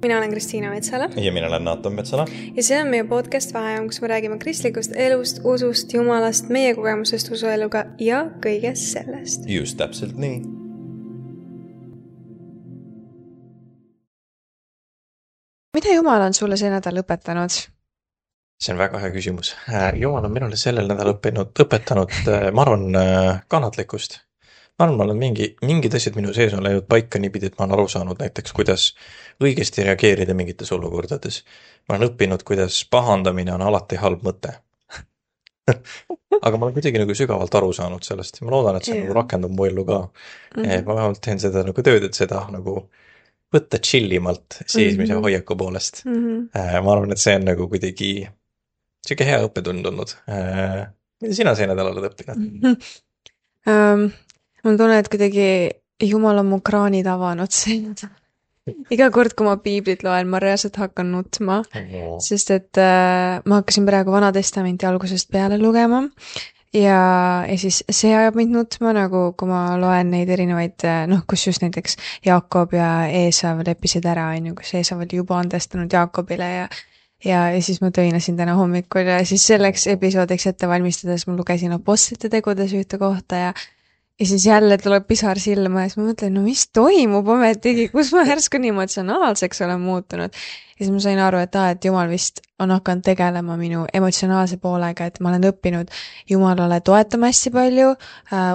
Mina olen Kristiina Metsala. Ja mina olen Naatan Metsala. Ja see on meie podcast Vaheajam, kus me räägime kristlikust elust, usust, jumalast, meie kogemusest usueluga ja kõigest sellest. Just täpselt nii. Mida Jumal on sulle see nädal õpetanud? See on väga hea küsimus. Jumal on minule sellel nädal õpetanud, ma arvan, kannatlikkust. Ma arvan, ma olen mingid asjad minu sees on läinud paika niipidi, et ma olen aru saanud näiteks, kuidas õigesti reageerida mingites olukordades. Ma olen õppinud, kuidas pahandamine on alati halb mõte. Aga ma olen kuidagi nagu sügavalt aru saanud sellest. Ma loodan, et see nagu rakendub mu ellu ka. Ma vähemalt teen seda nagu tööd, et seda nagu võtta chillimalt seismise hoiaku poolest. Ma arvan, et see on nagu kuidagi siuke hea õppetund olnud. Mida sina see nädal oled õppinud? Ma tunnen, et kuidagi Jumal on mu kraanid avanud see nädal. Iga kord, kui ma piiblit loen, ma reaalselt hakkan nutma, sest et ma hakkasin praegu Vana Testamenti algusest peale lugema ja siis see ajab mind nutma, nagu kui ma loen neid erinevaid, kus just näiteks Jaakob ja Eesav leppisid ära, kus Eesav oli juba andestanud Jaakobile ja siis ma töinasin täna hommikul ja siis selleks episoodiks ette valmistades ma lugesin Apostlite tegudes ühte kohta ja siis jälle tuleb pisar silma ja siis ma mõtlen, no mis toimub ometigi, kus ma järsku nii emotsionaalseks olen muutunud. Ja siis ma sain aru, et Jumal vist on hakanud tegelema minu emotsionaalse poolega, et ma olen õppinud Jumalale toetama hästi palju,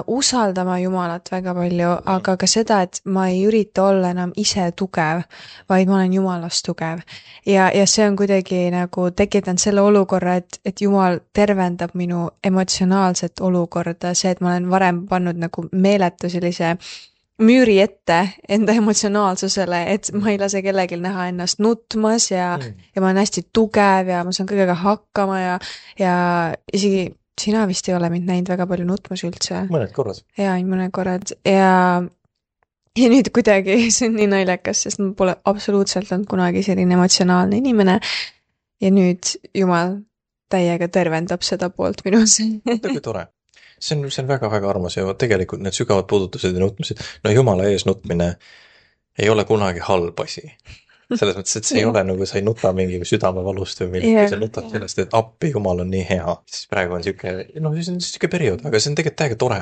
usaldama Jumalat väga palju, aga ka seda, et ma ei ürita olla enam ise tugev, vaid ma olen Jumalast tugev. Ja see on kuidagi nagu tekitanud selle olukorra, et Jumal tervendab minu emotsionaalset olukorda, see, et ma olen varem pannud nagu meeletu sellise müüri ette enda emotsionaalsusele, et ma ei lase kellelgi näha ennast nutmas ja ma olen hästi tugev ja ma saan kõigega hakkama ja isegi sina vist ei ole mind näinud väga palju nutmas üldse. Mõned korrad. Ja, mõned korrad. Ja nüüd kuidagi see on nii naljakas, sest ma pole absoluutselt olnud kunagi selline emotsionaalne inimene ja nüüd Jumal täiega tervendab seda poolt minus. Kui tore. See on väga-väga armas ja tegelikult need sügavad puudutused ja nutmised, Jumala ees nutmine ei ole kunagi halb asi. Selles mõttes, et see ei ole nagu sa ei nuta mingi südamevalust või millegi, sa nutad sellest, et appi Jumal on nii hea. Siis praegu on siuke periood, aga see on tegelikult täiega tore.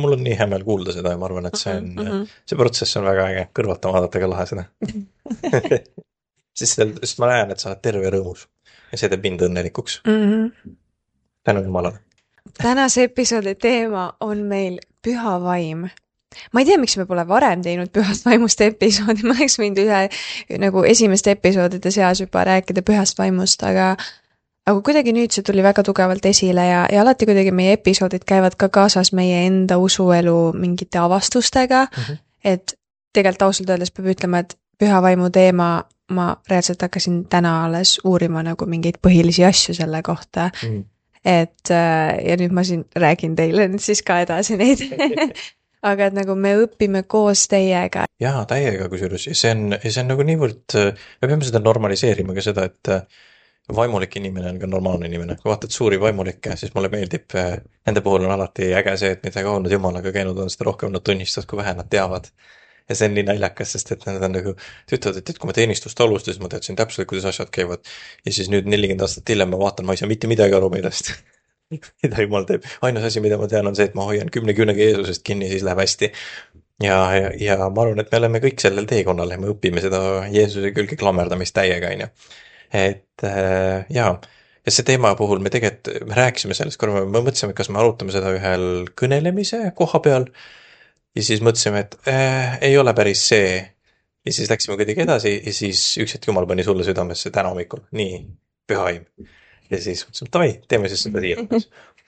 Mul on nii hea meel kuulda seda ja ma arvan, et see protsess on väga äge. Kõrvata vaadata ka lahe seda. Sest ma näen, et sa oled terve ja rõõmus ja see teeb mind õnnelikuks. Tänu Jumalale. Tänase episoodi teema on meil püha vaim. Ma ei tea, miks me pole varem teinud pühast vaimust episoodi, ma oleks võinud ühe nagu esimeste episoodide seas juba rääkida pühast vaimust, aga kuidagi nüüd see tuli väga tugevalt esile ja alati kuidagi meie episoodid käivad ka kaasas meie enda usuelu mingite avastustega, et tegelikult ausalt öeldes peab ütlema, et püha vaimu teema ma reaalselt hakkasin täna alles uurima nagu mingeid põhilisi asju selle kohta. Et ja nüüd ma siin räägin teile nüüd siis ka edasi neid. Aga et nagu me õpime koos teiega. Jaa, täiega kusjuures. See on nagu niivõrd, me peame seda normaliseerima ka seda, et vaimulik inimene on ka normaalne inimene. Kui vaatad suuri vaimulikke, siis mulle meeldib, nende puhul on alati äge see, et mida kauem nad Jumalaga käinud on, seda rohkem nad tunnistavad, kui vähe nad teavad. Ja see on nii naljakas, sest et nad on nagu, ütlevad, et kui ma teenistust alustasin, ma teadsin täpselt, kuidas asjad käivad. Ja siis nüüd 40 aastat hiljem ma vaatan, ma ei saa mitte midagi aru millest. Mida Jumal teeb. Ainus asi, mida ma tean, on see, et ma hoian 10 küünega Jeesusest kinni, siis läheb hästi. Ja ma arvan, et me oleme kõik sellel teekonnal ja me õpime seda Jeesuse külge klammerdamist täiega, on ju. Et ja see teema puhul me rääkisime sellest korra, me mõtlesime, kas me arutame seda ühel kõnelemise koha peal. Ja siis mõtlesime, et ei ole päris see. Ja siis läksime kuidagi edasi ja siis üks hetk Jumal pani sulle südamesse täna hommikul. Nii, püha vaim. Ja siis mõtlesime, et davai, teeme siis seda siia.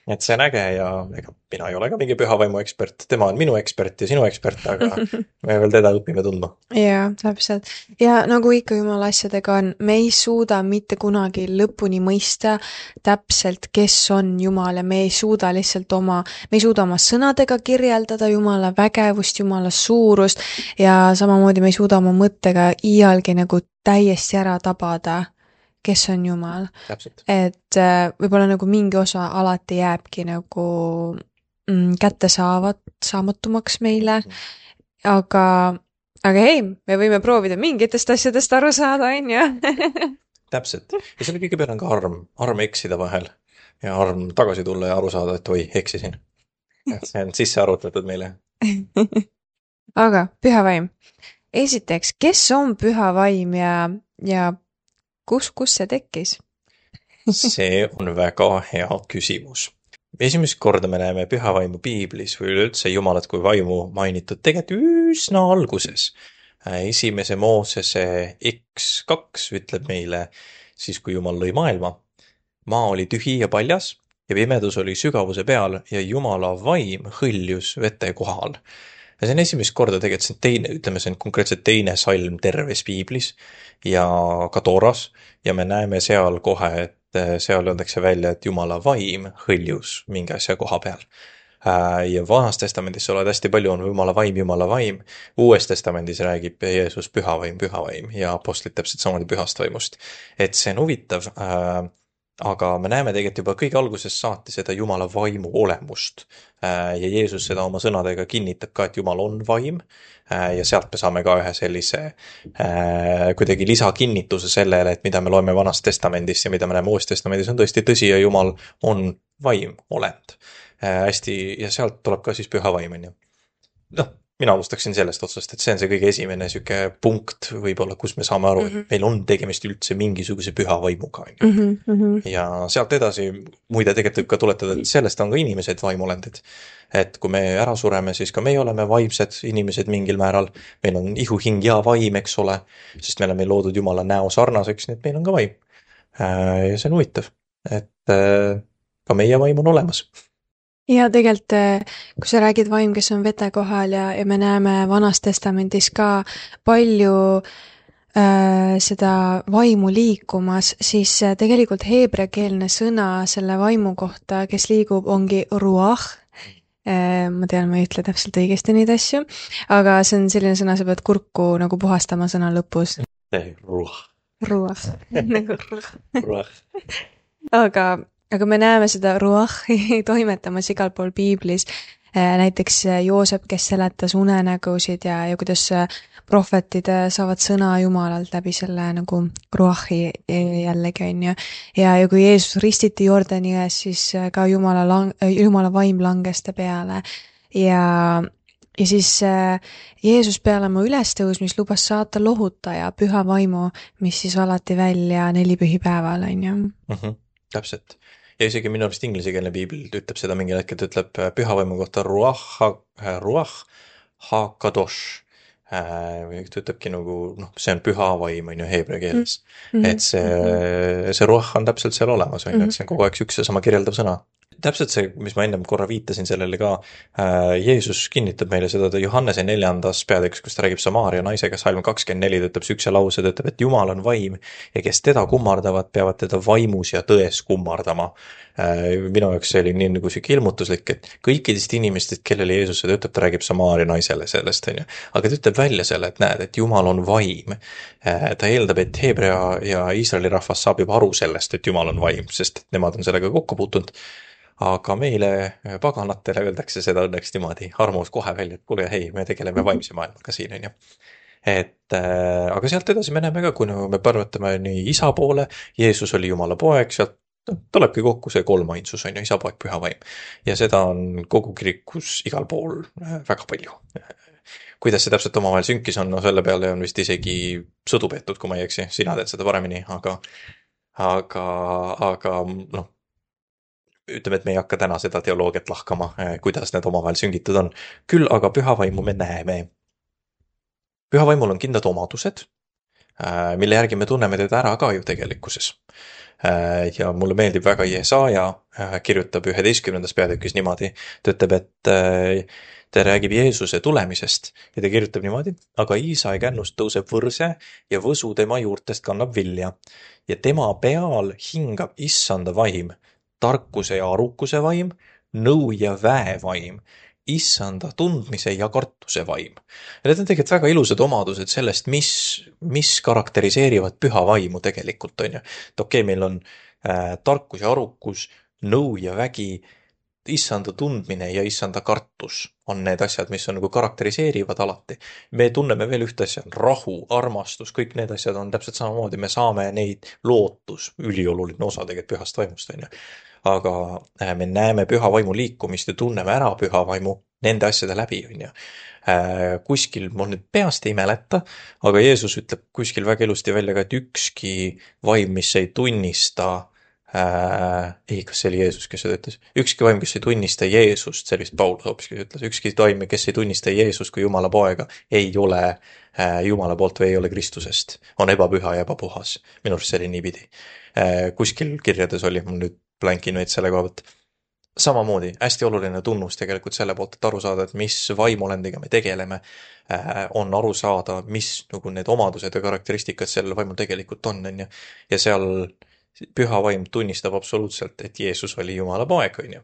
Et see on äge ja ega mina ei ole ka mingi püha vaimu ekspert. Tema on minu ekspert ja sinu ekspert, aga me veel teda õpime tundma. Jaa, täpselt. Ja nagu ikka Jumala asjadega on, me ei suuda mitte kunagi lõpuni mõista täpselt, kes on Jumal ja me ei suuda lihtsalt me ei suuda oma sõnadega kirjeldada Jumala vägevust, Jumala suurust ja samamoodi me ei suuda oma mõttega iialgi nagu täiesti ära tabada, kes on Jumal. Täpselt. Et võib-olla nagu mingi osa alati jääbki nagu kätte saamatumaks meile, aga aga ei, me võime proovida mingitest asjadest aru saada, on ju. Täpselt. Ja selle kõige peale on ka arm eksida vahel ja arm tagasi tulla ja aru saada, et oi, eksisin. Et see on sisse arvutatud meile. aga püha vaim. Esiteks, kes on püha vaim ja kus see tekkis? See on väga hea küsimus. Esimest korda me näeme püha vaimu piiblis või üleüldse Jumalat kui vaimu mainitud tegelikult üsna alguses. Esimese Moosese X2 ütleb meile siis, kui Jumal lõi maailma. Maa oli tühi ja paljas ja pimedus oli sügavuse peal ja Jumala vaim hõljus vete kohal. Ja see on esimest korda tegelikult, see on teine, ütleme, see on konkreetselt teine salm terves piiblis ja ka Tooras ja me näeme seal kohe, et seal öeldakse välja, et Jumala vaim hõljus mingi asja koha peal. Ja Vanas Testamendis sa oled hästi palju on Jumala vaim. Uues Testamendis räägib Jeesus püha vaim ja apostlid täpselt samamoodi pühast vaimust. Et see on huvitav, aga me näeme tegelikult juba kõige alguses saati seda Jumala vaimu olemust. Ja Jeesus seda oma sõnadega kinnitab ka, et Jumal on vaim. Ja sealt me saame ka ühe sellise kuidagi lisakinnituse sellele, et mida me loeme Vanast Testamendist ja mida me näeme Uues Testamendis on tõesti tõsi ja Jumal on vaim, olend. Hästi, ja sealt tuleb ka siis püha vaim, on ju. Noh, mina alustaksin sellest otsast, et see on see kõige esimene süke punkt võib-olla, kus me saame aru, et meil on tegemist üldse mingisuguse püha vaimuga. Ja sealt edasi, muide tegelikult võib ka tuletada, et sellest on ka inimesed vaimolendid. Et kui me ära sureme, siis ka meie oleme vaimsed inimesed mingil määral. Meil on ihu, hing ja vaim, eks ole, sest me oleme loodud Jumala näo sarnaseks, nii et meil on ka vaim. Ja see on huvitav, et ka meie vaim on olemas. Ja tegelikult, kui sa räägid vaim, kes on vete kohal ja me näeme Vanas Testamendis ka palju seda vaimu liikumas, siis tegelikult heebreakeelne sõna selle vaimu kohta, kes liigub, ongi ruach. Ma tean, ma ei ütle täpselt õigesti neid asju, aga see on selline sõna, sa pead kurku nagu puhastama sõna lõpus. Ruach. Nagu ruach. Aga me näeme seda ruachi toimetamas igal pool piiblis. Näiteks Joosep, kes seletas unenägusid ja kuidas prohvetid saavad sõna Jumalalt läbi selle nagu ruachi jällegi, on ju. Ja kui Jeesus ristiti Jordani ees, siis ka Jumala vaim langes ta peale. Ja siis Jeesus peale oma ülestõusmist lubas saata lohutaja, püha vaimu, mis siis valati välja 4 pühipäeval, on ju. Täpselt. Ja isegi minu arust inglisekeelne piibel ütleb seda mingil hetkel, ta ütleb püha vaimu kohta ruach ha-kadosh. Ta ütlebki nagu, see on püha vaim, on ju, heebrea keeles. Et see ruach on täpselt seal olemas, on ju, et see on kogu aeg üks ja sama kirjeldav sõna. Täpselt see, mis ma ennem korra viitasin sellele ka, Jeesus kinnitab meile seda Johannese 4. peatükis, kus ta räägib Samaaria naisega, salm 24, ta ütleb sükse lause, ta ütleb, et Jumal on vaim ja kes teda kummardavad, peavad teda vaimus ja tões kummardama. Minu jaoks see oli nii nagu siuke ilmutuslik, et kõikidest inimestest, kellele Jeesus seda ütleb, ta räägib Samaaria naisele sellest, on ju. Aga ta ütleb välja selle, et näed, et Jumal on vaim. Ta eeldab, et Heebrea ja Iisraeli rahvas saab juba aru sellest, et Jumal on vaim, sest nemad on sellega kokku puutunud. Aga meile paganatele öeldakse seda õnneks niimoodi armus kohe välja, et kuule, hei, me tegeleme vaimse maailmaga siin, on ju. Aga sealt edasi me näeme ka, kui me pärvatame nii isa poole, Jeesus oli Jumala poeg, sealt tulebki kokku see kolmainsus, on ju, isa, poeg, püha vaim. Ja seda on kogu kirikus igal pool väga palju. Kuidas see täpselt omavahel sünkis on, selle peale on vist isegi sõdu peetud, kui ma ei eksi, sina teed seda paremini, aga ütleme, et me ei hakka täna seda teoloogiat lahkama, kuidas need omavahel süngitud on. Küll aga püha vaimu me näeme. Püha vaimul on kindlad omadused, mille järgi me tunneme teda ära ka ju tegelikkuses. Ja mulle meeldib väga Jesaja, kirjutab 11. peatükis niimoodi, ta ütleb, et ta räägib Jeesuse tulemisest ja ta kirjutab niimoodi, aga Iisai kännust tõuseb võrse ja võsu tema juurtest kannab vilja ja tema peal hingab issanda vaim, tarkuse ja arukuse vaim, nõu ja väe vaim, issanda tundmise ja kartuse vaim. Ja need on tegelikult väga ilusad omadused sellest, mis karakteriseerivad püha vaimu tegelikult, on ju. Et okei, meil on tarkus ja arukus, nõu ja vägi, issanda tundmine ja issanda kartus on need asjad, mis on nagu karakteriseerivad alati. Me tunneme veel ühte asja, rahu, armastus, kõik need asjad on täpselt samamoodi, me saame neid lootus, ülioluline osa tegelikult pühast vaimust, on ju. Aga me näeme püha vaimu liikumist ja tunneme ära püha vaimu nende asjade läbi, on ju. Kuskil, mul nüüd peast ei mäleta, aga Jeesus ütleb kuskil väga ilusti välja ka, et ükski vaim, mis ei tunnista kas see oli Jeesus, kes seda ütles? Ükski vaim, kes ei tunnista Jeesust, see vist Paul hoopiski ütles, ükski vaim, kes ei tunnista Jeesust kui Jumala poega, ei ole Jumala poolt või ei ole Kristusest. On ebapüha ja ebapuhas. Minu arust see oli niipidi. Kuskil kirjades oli, mul nüüd blankin veits selle koha pealt. Samamoodi, hästi oluline tunnus tegelikult selle poolt, et aru saada, et mis vaimulendiga me tegeleme, on aru saada, mis nagu need omadused ja karakteristikad sellel vaimul tegelikult on, on ju. Ja seal püha vaim tunnistab absoluutselt, et Jeesus oli Jumala poeg, on ju.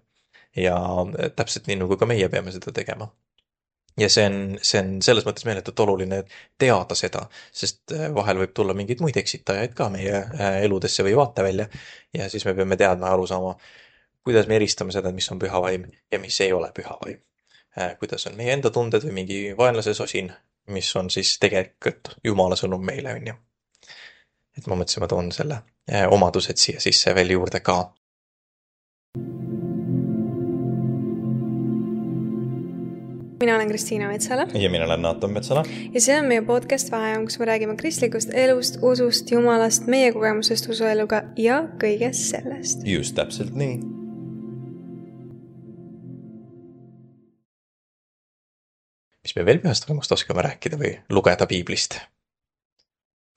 Ja täpselt nii, nagu ka meie peame seda tegema. Ja see on selles mõttes meeletult oluline teada seda, sest vahel võib tulla mingeid muid eksitajaid ka meie eludesse või vaatevälja. Ja siis me peame teadma ja aru saama, kuidas me eristame seda, mis on püha vaim ja mis ei ole püha vaim. Kuidas on meie enda tunded või mingi vaenlase sosin, mis on siis tegelikult Jumala sõnum meile, on ju. Et ma mõtlesin, ma toon selle omadused siia sisse veel juurde ka. Mina olen Kristiina Metsala. Ja mina olen Naatan Metsala. Ja see on meie podcast Vaheajam, kus me räägime kristlikust elust, usust, Jumalast, meie kogemusest usueluga ja kõigest sellest. Just täpselt nii. Mis me veel pühast vaimust oskame rääkida või lugeda piiblist?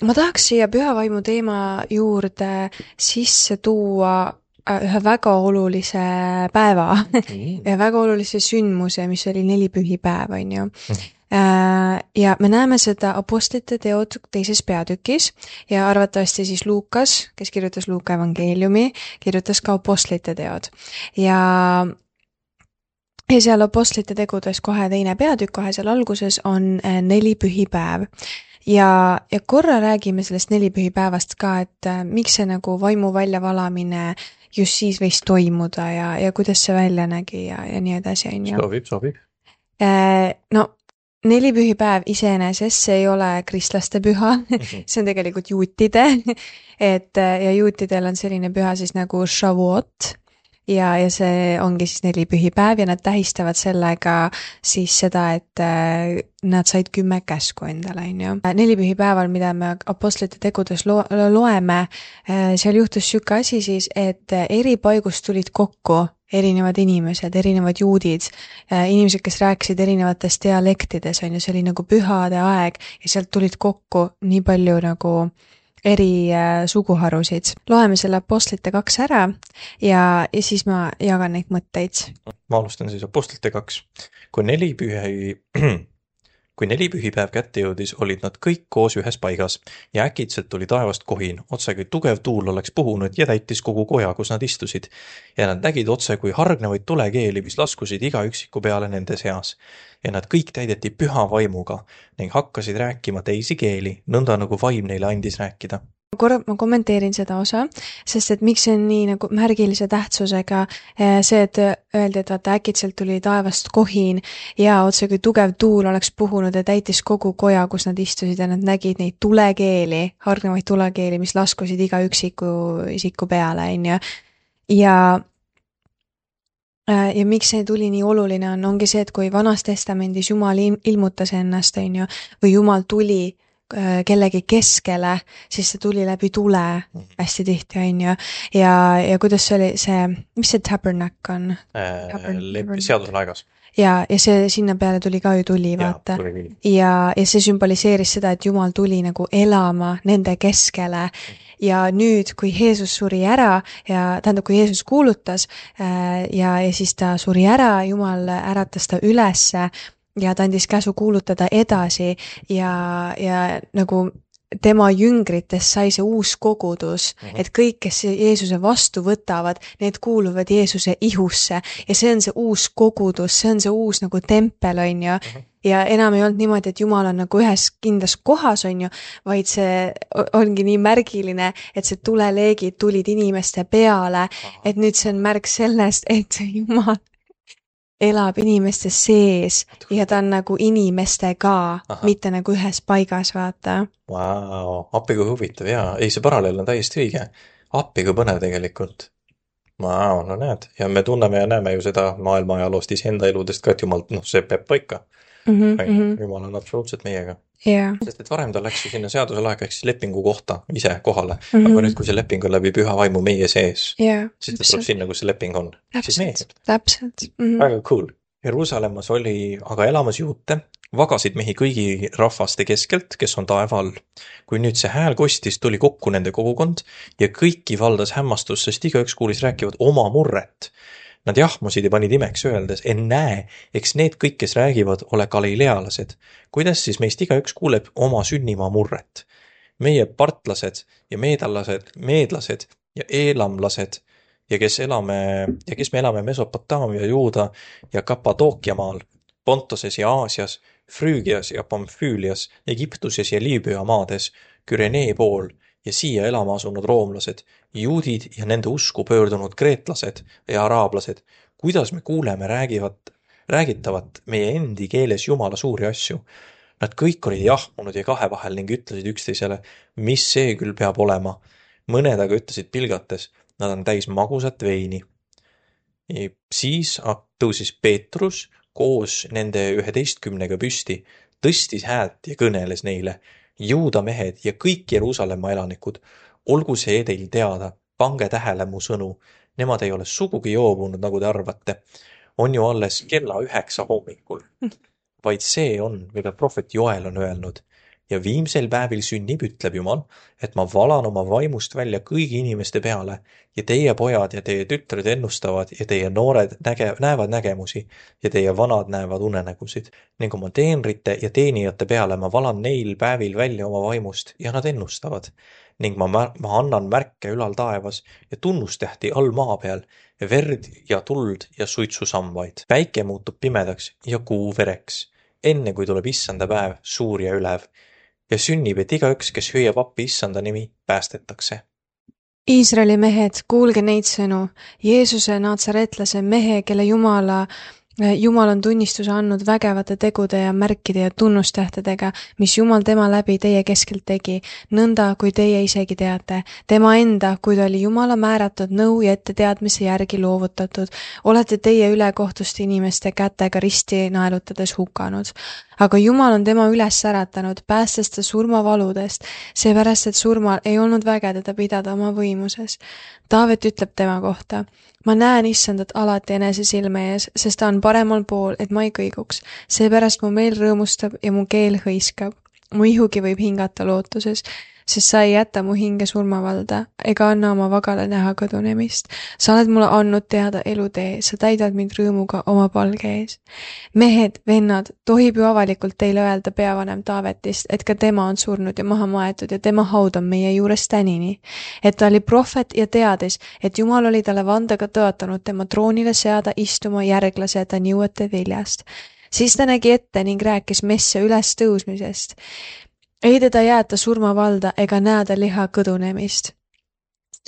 Ma tahaks siia püha vaimu teema juurde sisse tuua ühe väga olulise päeva ja väga olulise sündmuse, mis oli nelipühipäev, on ju. Ja me näeme seda Apostlite teod 2. peatükis ja arvatavasti siis Luukas, kes kirjutas Luuka evangeeliumi, kirjutas ka Apostlite teod. Ja seal Apostlite tegudes kohe 2. peatükk, kohe seal alguses on nelipühipäev. Ja korra räägime sellest nelipühipäevast ka, et miks see nagu vaimu väljavalamine just siis võis toimuda ja kuidas see välja nägi ja nii edasi. Sobib. No, nelipühipäev iseenesest see ei ole kristlaste püha, see on tegelikult juutide, ja juutidel on selline püha siis nagu Shavuot. Ja see ongi siis nelipühipäev ja nad tähistavad sellega siis seda, et nad said 10 käsku endale, on ju. Nelipühipäeval, mida me Apostlite tegudes loeme, seal juhtus siuke asi siis, et eri paigust tulid kokku erinevad inimesed, erinevad juudid, inimesed, kes rääkisid erinevates dialektides, on ju, see oli nagu pühade aeg ja sealt tulid kokku nii palju nagu eri suguharusid. Loeme selle Apostlite 2 ära ja siis ma jagan neid mõtteid. Ma alustan siis Apostlite 2. Kui nelipühipäev kätte jõudis, olid nad kõik koos ühes paigas ja äkitselt tuli taevast kohin, otse kui tugev tuul oleks puhunud ja täitis kogu koja, kus nad istusid. Ja nad nägid otse kui hargnevaid tulekeeli, mis laskusid iga üksiku peale nende seas. Ja nad kõik täideti püha vaimuga ning hakkasid rääkima teisi keeli, nõnda nagu vaim neile andis rääkida. Korra ma kommenteerin seda osa, sest et miks see on nii nagu märgilise tähtsusega see, et öeldi, et vaata äkitselt tuli taevast kohin ja otse kui tugev tuul oleks puhunud ja täitis kogu koja, kus nad istusid ja nad nägid neid tulekeeli, hargnevaid tulekeeli, mis laskusid iga isiku peale, on ju. Ja miks see tuli nii oluline ongi see, et kui Vanas Testamendis Jumal ilmutas ennast, on ju, või Jumal tuli kellegi keskele, siis see tuli läbi tule hästi tihti, on ju. Ja kuidas see oli mis see tabernak on? Seaduslaegas. Ja see sinna peale tuli ka ju tuli, vaata. Ja see sümboliseeris seda, et Jumal tuli nagu elama nende keskele. Ja nüüd, kui Jeesus suri ära ja tähendab, kui Jeesus kuulutas ja siis ta suri ära, Jumal äratas ta ülesse ja ta andis käsu kuulutada edasi ja nagu tema jüngritest sai see uus kogudus, et kõik, kes Jeesuse vastu võtavad, need kuuluvad Jeesuse ihusse ja see on see uus kogudus, see on see uus nagu tempel, on ju. Ja enam ei olnud niimoodi, et Jumal on nagu ühes kindlas kohas, on ju, vaid see ongi nii märgiline, et see tuleleegid tulid inimeste peale, et nüüd see on märk sellest, et Jumal elab inimeste sees ja ta on nagu inimestega, mitte nagu ühes paigas, vaata. Vau, appi kui huvitav, jaa. Ei, see paralleel on täiesti õige. Appi kui põnev tegelikult. Vau, no näed. Ja me tunneme ja näeme ju seda maailma ajaloost iseenda eludest ka, et jumal, see peab paika. Jumal on absoluutselt meiega. Yeah. Sest et varem ta läks ju sinna seaduselaega ehk siis lepingu kohta ise kohale. Aga nüüd, kui see leping on läbi püha vaimu meie sees, siis ta tuleb sinna, kus see leping on. Siis meie. Täpselt. Väga cool. Jeruusalemmas oli aga elamas juute, vagasid mehi kõigi rahvaste keskelt, kes on taeva all. Kui nüüd see hääl kostis, tuli kokku nende kogukond ja kõiki valdas hämmastus, sest igaüks kuulis rääkivad oma murret. Nad jahmusid ja panid imeks öeldes, näe, eks need kõik, kes räägivad, ole galilealased. Kuidas siis meist igaüks kuuleb oma sünnimaa murret? Meie partlased ja meedlased ja eelamlased ja kes me elame Mesopotaamia, Juuda ja Kappadookia maal, Pontoses ja Aasias, Früügias ja Pamfüülias, Egiptuses ja Liibüa maades, Kürenee pool ja siia elama asunud roomlased, juudid ja nende usku pöördunud kreetlased ja araablased, kuidas me kuuleme räägitavat meie endi keeles Jumala suuri asju. Nad kõik olid jahmunud ja kahe vahel ning ütlesid üksteisele, mis see küll peab olema. Mõned aga ütlesid pilgates, nad on täis magusat veini. Siis tõusis Peetrus koos nende 11 püsti, tõstis häält ja kõneles neile. Juuda mehed ja kõik Jeruusalemma elanikud, olgu see teil teada, pange tähele mu sõnu. Nemad ei ole sugugi joobunud, nagu te arvate. On ju alles kella 9 hommikul. Vaid see on, mida prohvet Joel on öelnud. Ja viimsel päevil sünnib, ütleb Jumal, et ma valan oma vaimust välja kõigi inimeste peale ja teie pojad ja teie tütred ennustavad ja teie noored näevad nägemusi ja teie vanad näevad unenägusid. Ning oma teenrite ja teenijate peale ma valan neil päevil välja oma vaimust ja nad ennustavad. Ning ma annan märke ülal taevas ja tunnustähti all maa peal ja verd ja tuld ja suitsusambaid. Päike muutub pimedaks ja kuu vereks, enne kui tuleb issanda päev, suur ja ülev. Ja sünnib, et igaüks, kes hüüab appi issanda nimi, päästetakse. Iisraeli mehed, kuulge neid sõnu. Jeesuse natsaretlase mehe, kelle Jumal on tunnistuse andnud vägevate tegude ja märkide ja tunnustähtedega, mis Jumal tema läbi teie keskelt tegi, nõnda kui teie isegi teate. Tema enda, kui ta oli Jumala määratud nõu ja etteteadmise järgi loovutatud, olete teie ülekohtuste inimeste kätega risti naelutades hukanud. Aga Jumal on tema üles äratanud, päästes ta surmavaludest, seepärast, et surmal ei olnud väge teda pidada oma võimuses. Taavet ütleb tema kohta, ma näen issandat alati enese silme ees, sest ta on paremal pool, et ma ei kõiguks. Seepärast mu meel rõõmustab ja mu keel hõiskab. Mu ihugi võib hingata lootuses, sest sa ei jäta mu hinge surmavalda ega anna oma vagale näha kõdunemist. Sa oled mulle andnud teada elutee, sa täidad mind rõõmuga oma palge ees. Mehed, vennad, tohib ju avalikult teile öelda peavanem Taavetist, et ka tema on surnud ja maha maetud ja tema haud on meie juures tänini. Et ta oli prohvet ja teadis, et Jumal oli talle vandega tõotanud tema troonile seada istuma järglase ta nõuete viljast. Siis ta nägi ette ning rääkis messe üles tõusmisest. Ei teda jäeta surmavalda ega näeda liha kõdunemist.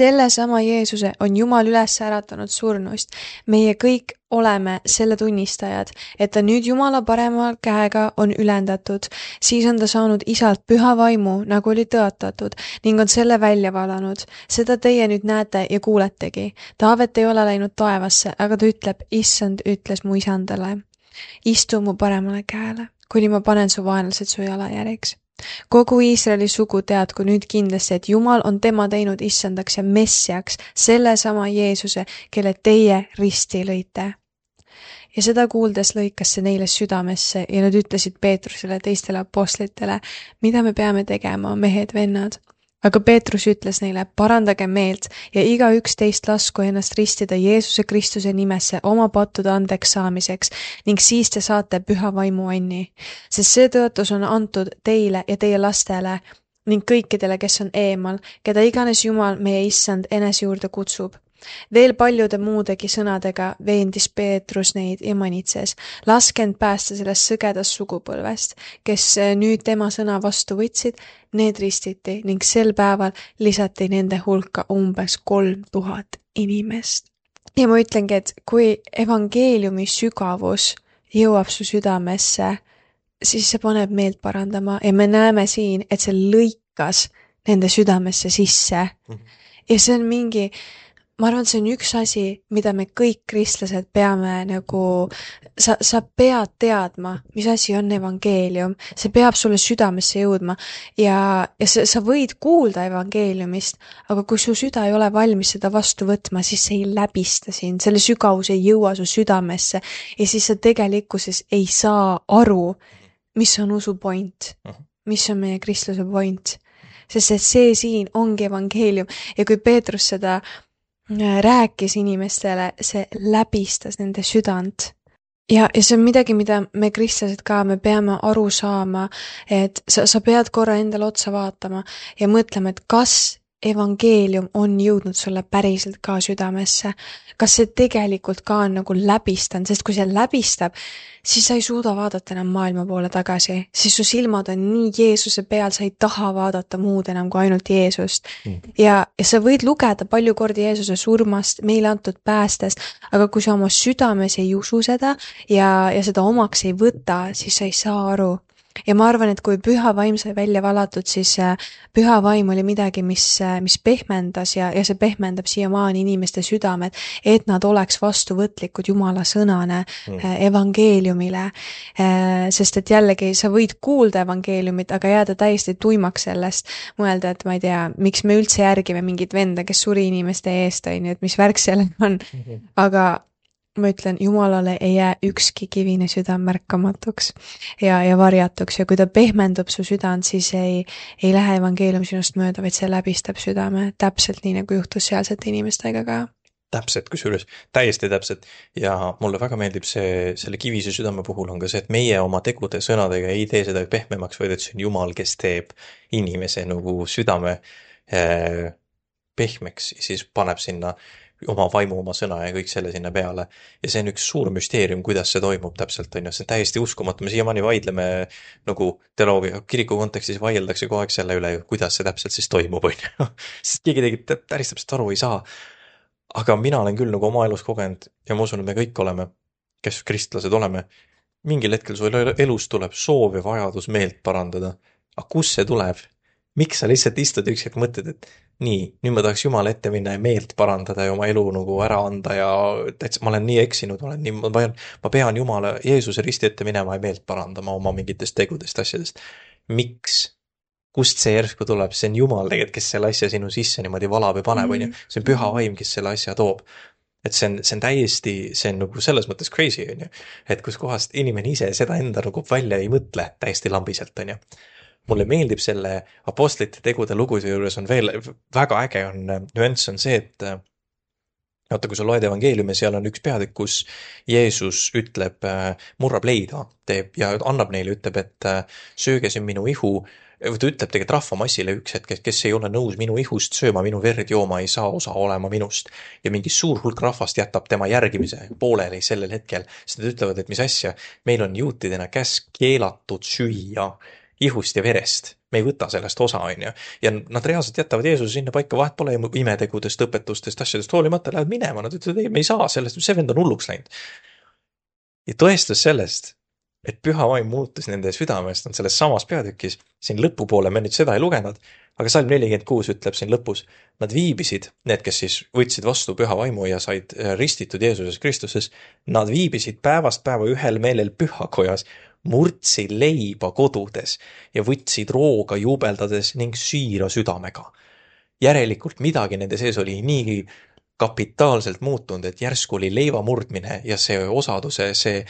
Selle sama Jeesuse on Jumal üles äratanud surnust. Meie kõik oleme selle tunnistajad, et ta nüüd Jumala parema käega on ülendatud. Siis on ta saanud isalt püha vaimu, nagu oli tõotatud, ning on selle välja valanud. Seda teie nüüd näete ja kuuletegi. Taavet ei ole läinud taevasse, aga ta ütleb, issand ütles mu isandale. Istu mu paremale käele, kuni ma panen su vaenlased su jalajärjeks. Kogu Iisraeli sugu teadku nüüd kindlasti, et Jumal on tema teinud issandaks ja messiaks, selle sama Jeesuse, kelle teie risti lõite. Ja seda kuuldes lõikas see neile südamesse ja nad ütlesid Peetrusele teistele apostlitele, mida me peame tegema, mehed, vennad. Aga Peetrus ütles neile, parandage meelt ja igaüks teist lasku ennast ristida Jeesuse Kristuse nimesse oma pattude andeks saamiseks ning siis te saate püha vaimu anni. Sest see tõotus on antud teile ja teie lastele ning kõikidele, kes on eemal, keda iganes Jumal meie issand enese juurde kutsub. Veel paljude muudegi sõnadega veendis Peetrus neid ja manitses. Laske end päästa sellest sõgedast sugupõlvest, kes nüüd tema sõna vastu võtsid, need ristiti ning sel päeval lisati nende hulka umbes 3000 inimest. ja ma ütlengi, et kui evangeeliumi sügavus jõuab su südamesse, siis see paneb meelt parandama ja me näeme siin, et see lõikas nende südamesse sisse. Ja see on mingi, ma arvan, et see on üks asi, mida me kõik kristlased peame nagu, sa pead teadma, mis asi on evangeelium, see peab sulle südamesse jõudma ja sa võid kuulda evangeeliumist, aga kui su süda ei ole valmis seda vastu võtma, siis see ei läbista sind, selle sügavus ei jõua su südamesse ja siis sa tegelikkuses ei saa aru, mis on usu point, mis on meie kristluse point, sest et see siin ongi evangeelium ja kui Peetrus seda rääkis inimestele, see läbistas nende südant. Ja see on midagi, mida me kristlased ka, me peame aru saama, et sa pead korra endale otsa vaatama ja mõtlema, et kas evangeelium on jõudnud sulle päriselt ka südamesse. Kas see tegelikult ka on nagu läbistanud, sest kui see läbistab, siis sa ei suuda vaadata enam maailma poole tagasi, siis su silmad on nii Jeesuse peal, sa ei taha vaadata muud enam kui ainult Jeesust. Ja sa võid lugeda palju kordi Jeesuse surmast, meile antud päästest, aga kui sa oma südames ei usu seda ja seda omaks ei võta, siis sa ei saa aru. Ja ma arvan, et kui püha vaim sai välja valatud, siis püha vaim oli midagi, mis pehmendas ja see pehmendab siiamaani inimeste südamed, et nad oleks vastuvõtlikud Jumala sõnane evangeeliumile. Sest et jällegi sa võid kuulda evangeeliumit, aga jääda täiesti tuimaks sellest, mõelda, et ma ei tea, miks me üldse järgime mingit venda, kes suri inimeste eest, et mis värk sellega on. Aga ma ütlen, Jumalale ei jää ükski kivine südam märkamatuks ja varjatuks ja kui ta pehmendub su südant, siis ei lähe evangeelium sinust mööda, vaid see läbistab südame, täpselt nii nagu juhtus sealsete inimestega ka. Täpselt, kusjuures, täiesti täpselt ja mulle väga meeldib selle kivise südame puhul on ka see, et meie oma tegude sõnadega ei tee seda pehmemaks, vaid et see on Jumal, kes teeb inimese nagu südame pehmeks ja siis paneb sinna oma vaimu, oma sõna ja kõik selle sinna peale. Ja see on üks suur müsteerium, kuidas see toimub täpselt, on ju. See on täiesti uskumatu. Me siiamaani vaidleme nagu teoloogia kiriku kontekstis vaieldakse kogu aeg selle üle, kuidas see täpselt siis toimub, on ju. Sest keegi tegelikult päris täpselt aru ei saa. Aga mina olen küll nagu oma elus kogenud ja ma usun, et me kõik oleme, kes kristlased oleme. Mingil hetkel su elus tuleb soov ja vajadus meelt parandada. Aga kus see tuleb? Miks sa lihtsalt istud üks hetk mõtled, et nii, nüüd ma tahaks Jumala ette minna ja meelt parandada ja oma elu nagu ära anda ja täitsa, ma olen nii eksinud, ma pean Jumala Jeesuse risti ette minema ja meelt parandama oma mingitest tegudest, asjadest. Miks? Kust see järsku tuleb? See on Jumal tegelikult, kes selle asja sinu sisse niimoodi valab ja paneb, on ju. See on püha vaim, kes selle asja toob. Et see on täiesti, see on nagu selles mõttes crazy, on ju. Et kus kohast inimene ise seda enda nagu välja ei mõtle täiesti lambiselt, on ju. Mulle meeldib selle apostlite tegude lugude juures on veel väga äge on nüanss on see, et vaata, kui sa loed evangeeliumi, seal on üks peatükk, kus Jeesus ütleb, murrab leida teeb ja annab neile, ütleb, et sööge see minu ihu. Ta ütleb tegelikult rahvamassile üks hetk, kes ei ole nõus minu ihust sööma, minu verd jooma, ei saa osa olema minust. Ja mingi suur hulk rahvast jätab tema järgimise pooleli sellel hetkel. Sest nad ütlevad, et mis asja, meil on juutidena käsk keelatud süüa ihust ja verest. Me ei võta sellest osa, on ju. Ja nad reaalselt jätavad Jeesuse sinna paika, vahet pole imetegudest, õpetustest, asjadest hoolimata, lähevad minema. Nad ütlevad, ei, me ei saa sellest, see vend on hulluks läinud. Ja tõestus sellest, et püha vaim muutus nende südamest, on selles samas peatükis, siin lõpupoole me nüüd seda ei lugenud, aga salm 46 ütleb siin lõpus, nad viibisid, need, kes siis võtsid vastu püha vaimu ja said ristitud Jeesuses Kristuses, nad viibisid päevast päeva ühel meelel pühakojas, murdsid leiba kodudes ja võtsid rooga juubeldades ning süüra südamega. Järelikult midagi nende sees oli nii kapitaalselt muutunud, et järsku oli leiva murdmine ja see osaduse, see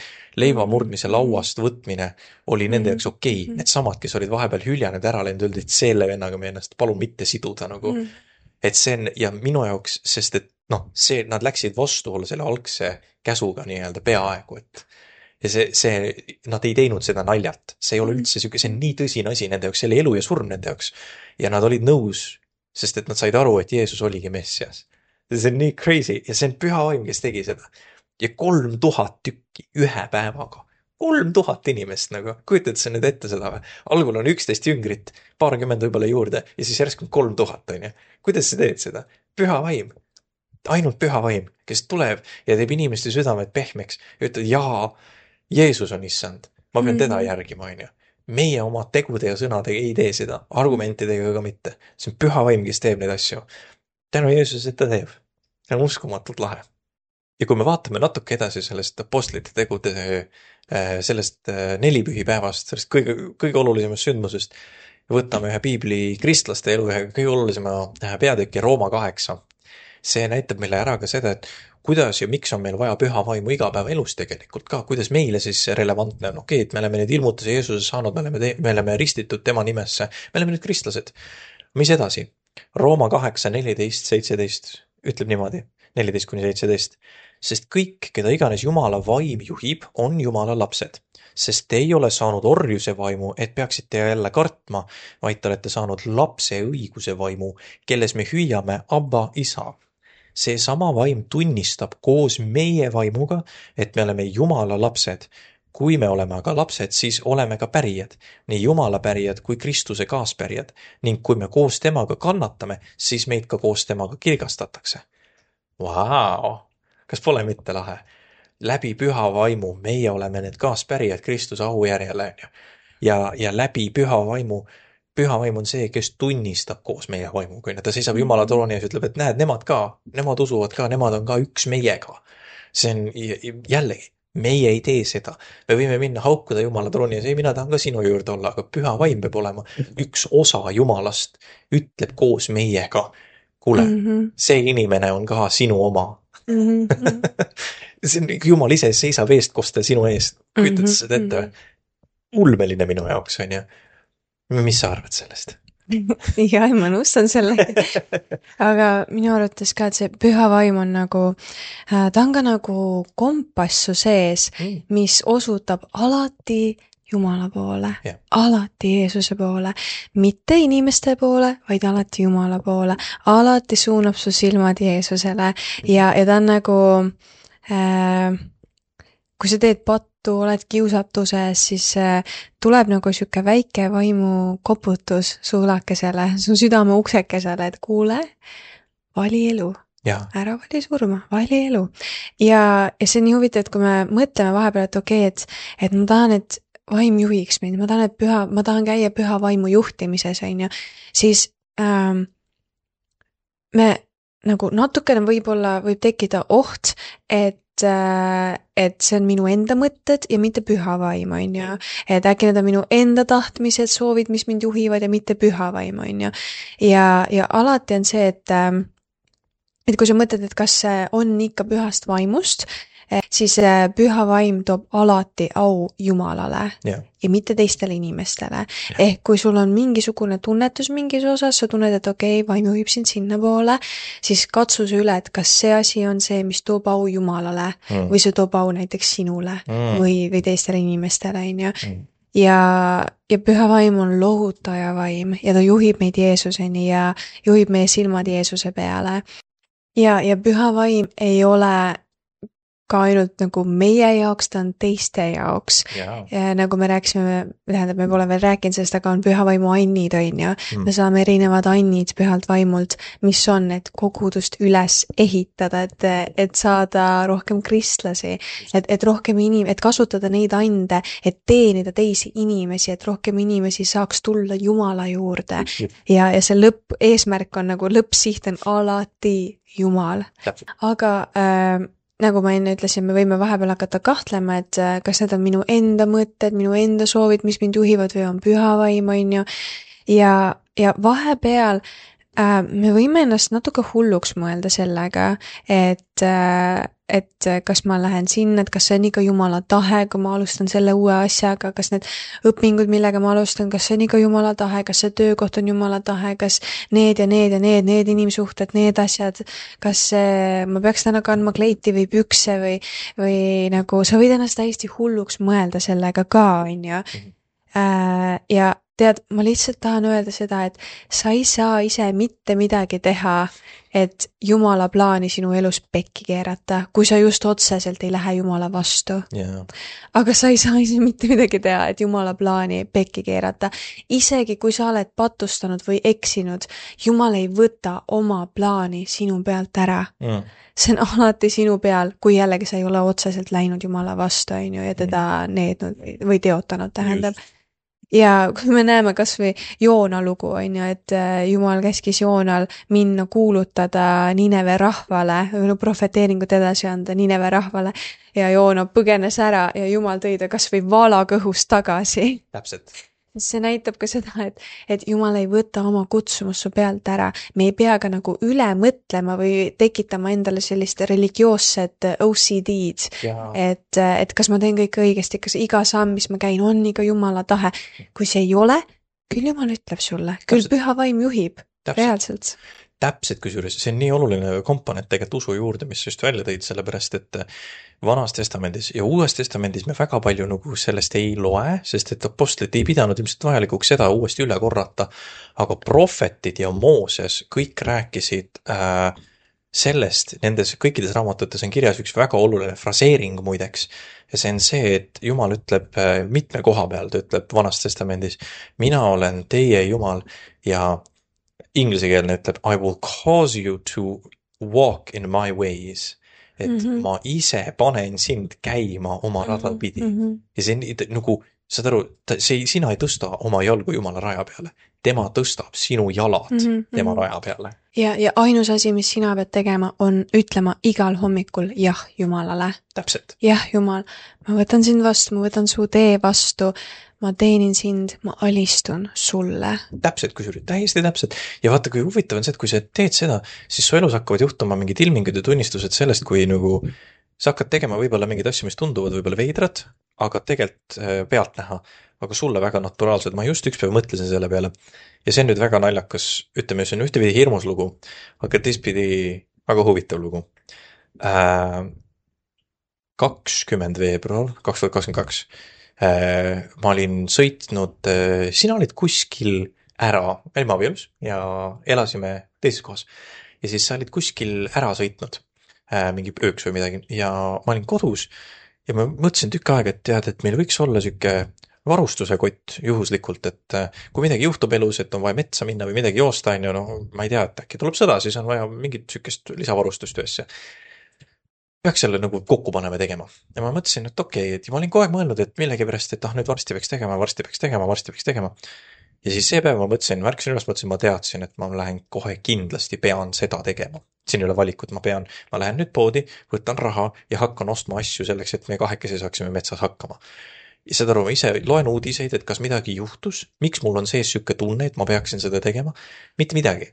leiva murdmise lauast võtmine oli nende jaoks okei. Need samad, kes olid vahepeal hüljanud ära läinud, öeldi, et selle vennaga me ennast palun mitte siduda nagu. Et see on, ja minu jaoks, sest et see, nad läksid vastuolla selle algse käsuga nii-öelda peaaegu, et ja nad ei teinud seda naljalt. See ei ole üldse see on nii tõsine asi nende jaoks, see oli elu ja surm nende jaoks. Ja nad olid nõus, sest et nad said aru, et Jeesus oligi Messias. See on nii crazy ja see on püha vaim, kes tegi seda. Ja 3000 tükki ühe päevaga. 3000 inimest nagu. Kujutad sa nüüd ette seda või? Algul on 11 jüngrit, paarkümmend võib-olla juurde ja siis järsku 3000, on ju. Kuidas sa teed seda? Püha vaim. ainult püha vaim, kes tuleb ja teeb inimeste südamed pehmeks ja ütleb, jaa, Jeesus on issand, ma pean teda järgima, on ju. Meie oma tegude ja sõnadega ei tee seda, argumentidega ka mitte. See on püha vaim, kes teeb neid asju. Tänu Jeesusele, et ta teeb. See on uskumatult lahe. Ja kui me vaatame natuke edasi sellest apostlite tegude, sellest nelipühipäevast, sellest kõige olulisemast sündmusest, võtame ühe piibli kristlaste elu ühe kõige olulisema peatüki Rooma 8. See näitab meile ära ka seda, et kuidas ja miks on meil vaja püha vaimu igapäevaelus tegelikult ka, kuidas meile siis relevantne on, okei, et me oleme neid ilmutusi Jeesuses saanud, me oleme ristitud tema nimesse, me oleme nüüd kristlased. Mis edasi? Rooma 8, 14, 17 ütleb niimoodi, 14-17. Sest kõik, keda iganes Jumala vaim juhib, on Jumala lapsed. Sest te ei ole saanud orjuse vaimu, et peaksite jälle kartma, vaid te olete saanud lapse õiguse vaimu, kelles me hüüame Abba isa. See sama vaim tunnistab koos meie vaimuga, et me oleme Jumala lapsed. Kui me oleme aga lapsed, siis oleme ka pärijad, nii Jumala pärijad kui Kristuse kaaspärijad, ning kui me koos temaga kannatame, siis meid ka koos temaga kirgastatakse. Vau! Kas pole mitte lahe? Läbi püha vaimu meie oleme need kaaspärijad Kristuse aujärjele. Ja läbi püha vaim on see, kes tunnistab koos meie vaimuga. Ta seisab Jumala trooni ja ütleb, et näed, nemad usuvad ka, nemad on ka üks meiega. See on jällegi, meie ei tee seda. Me võime minna haukuda Jumala trooni ja mina tahan ka sinu juurde olla, aga püha vaim peab olema üks osa Jumalast, ütleb koos meiega. Kuule, see inimene on ka sinu oma. See on Jumal ise seisab eestkostel sinu eest. Kujutad seda ette? Ulmeline minu jaoks, on ju. Mis sa arvad sellest? Ja, ma nõustan selle. Aga minu arvates ka, et see püha vaim on nagu, ta on ka nagu kompassu sees, mis osutab alati Jumala poole, alati Jeesuse poole, mitte inimeste poole, vaid alati Jumala poole, alati suunab su silmad Jeesusele ja ta on nagu, kui sa teed pattu, oled kiusatuses, siis tuleb nagu siuke väike vaimu koputus suulakesele, su südame uksekesele, et kuule, vali elu. Ära vali surma, vali elu. Ja see on nii huvitav, et kui me mõtleme vahepeal, et okei, et ma tahan, et vaim juhiks meid, ma tahan käia püha vaimu juhtimises, on ju, siis me nagu natukene võib tekkida oht, et see on minu enda mõtted ja mitte püha vaim, on ju. Et äkki need on minu enda tahtmised, soovid, mis mind juhivad ja mitte püha vaim, on ju. Ja alati on see, et kui sa mõtled, et kas see on ikka pühast vaimust, siis püha vaim toob alati au Jumalale ja mitte teistele inimestele. Ehk kui sul on mingisugune tunnetus mingis osas, sa tunned, et okei, vaim juhib sind sinna poole, siis katsu see üle, et kas see asi on see, mis toob au Jumalale või see toob au näiteks sinule või teistele inimestele, on ju. Ja püha vaim on lohutaja vaim ja ta juhib meid Jeesuseni ja juhib meie silmad Jeesuse peale. Ja püha vaim ei ole ka ainult nagu meie jaoks, ta on teiste jaoks. Ja nagu me rääkisime, me pole veel rääkinud sellest, aga on püha vaimu annid, on ju. Me saame erinevad annid pühalt vaimult, mis on, et kogudust üles ehitada, et saada rohkem kristlasi, et rohkem et kasutada neid ande, et teenida teisi inimesi, et rohkem inimesi saaks tulla Jumala juurde. Ja see eesmärk on nagu lõppsiht on alati Jumal. Aga nagu ma enne ütlesin, me võime vahepeal hakata kahtlema, et kas need on minu enda mõtted, minu enda soovid, mis mind juhivad või on püha vaim, on ju. Ja vahepeal me võime ennast natuke hulluks mõelda sellega, et kas ma lähen sinna, et kas see on ikka Jumala tahe, kui ma alustan selle uue asjaga, kas need õpingud, millega ma alustan, kas see on ikka Jumala tahe, kas see töökoht on Jumala tahe, kas need inimsuhted, need asjad, kas ma peaks täna kandma kleiti või pükse või nagu sa võid ennast täiesti hulluks mõelda sellega ka, on ju. Ja tead, ma lihtsalt tahan öelda seda, et sa ei saa ise mitte midagi teha, et Jumala plaani sinu elus pekki keerata, kui sa just otseselt ei lähe Jumala vastu. Yeah. Aga sa ei saa ise mitte midagi teha, et Jumala plaani pekki keerata. Isegi kui sa oled patustanud või eksinud, Jumal ei võta oma plaani sinu pealt ära. See on alati sinu peal, kui jällegi sa ei ole otseselt läinud Jumala vastu, ja teda neednud või teotanud, tähendab. Just. Ja kui me näeme kas või Joona lugu, et Jumal käskis Joonal minna kuulutada Nineve rahvale, või profeteeringut edasi anda Nineve rahvale, ja Joona põgenes ära ja Jumal tõi ta kas või valakõhust tagasi. Täpselt. See näitab ka seda, et Jumal ei võta oma kutsumust su pealt ära. Me ei pea ka nagu üle mõtlema või tekitama endale sellist religioosset OCD-d, et kas ma teen kõik õigesti, kas iga samm, mis ma käin, on ikka Jumala tahe. Kui see ei ole, küll Jumal ütleb sulle, küll Püha Vaim juhib. Reaalselt. Täpselt, kusjuures see on nii oluline komponent tegelikult usu juurde, mis just välja tõid, sellepärast et Vanas testamendis ja Uues testamendis me väga palju nagu sellest ei loe, sest et apostlid ei pidanud ilmselt vajalikuks seda uuesti üle korrata, aga prohvetid ja Mooses kõik rääkisid sellest, nendes kõikides raamatutes on kirjas üks väga oluline fraseering muideks, ja see on see, et Jumal ütleb mitme koha peal, ta ütleb Vanas testamendis, mina olen teie Jumal, ja ingliskeelne ütleb I will cause you to walk in my ways, et ma ise panen sind käima oma rada pidi. Ja see on nagu, saad aru, sina ei tõsta oma jalgu Jumala raja peale, tema tõstab sinu jalad tema raja peale. Ja ainus asi, mis sina pead tegema, on ütlema igal hommikul jah Jumalale. Täpselt. Jah Jumal, ma võtan sind vastu, ma võtan su tee vastu, ma teenin sind, ma alistun sulle. Täpselt, kusjuures, täiesti täpselt. Ja vaata, kui huvitav on see, et kui sa teed seda, siis su elus hakkavad juhtuma mingid ilmingud ja tunnistused sellest, kui nagu sa hakkad tegema võib-olla mingeid asju, mis tunduvad võib-olla veidrad, aga tegelikult pealt näha, aga sulle väga naturaalsed. Ma just üks päev mõtlesin selle peale ja see on nüüd väga naljakas, ütleme, see on ühtepidi hirmus lugu, aga teistpidi väga huvitav lugu. 20. veebruar 2022 ma olin sõitnud, sina olid kuskil ära, me olime abielus ja elasime teises kohas. Ja siis sa olid kuskil ära sõitnud, mingi ööks või midagi, ja ma olin kodus ja ma mõtlesin tükk aega, et tead, et meil võiks olla süke varustuse kott juhuslikult, et kui midagi juhtub elus, et on vaja metsa minna või midagi joosta, ma ei tea, et äkki tuleb sõda, siis on vaja mingit sükest lisavarustust ühesse. Peaks selle nagu kokku panema tegema. Ja ma mõtlesin, et okei, et ma olin kogu aeg mõelnud, et millegi pärast, et nüüd varsti peaks tegema. Ja siis see päev ma mõtlesin, märkasin üles, ma teadsin, et ma lähen kohe kindlasti pean seda tegema. Siin ei ole valikut, ma lähen nüüd poodi, võtan raha ja hakkan ostma asju selleks, et me kahekesi saaksime metsas hakkama. Ja seda aru, ma ise loen uudiseid, et kas midagi juhtus, miks mul on sees sükke tunne, et ma peaksin seda tegema, mitte midagi.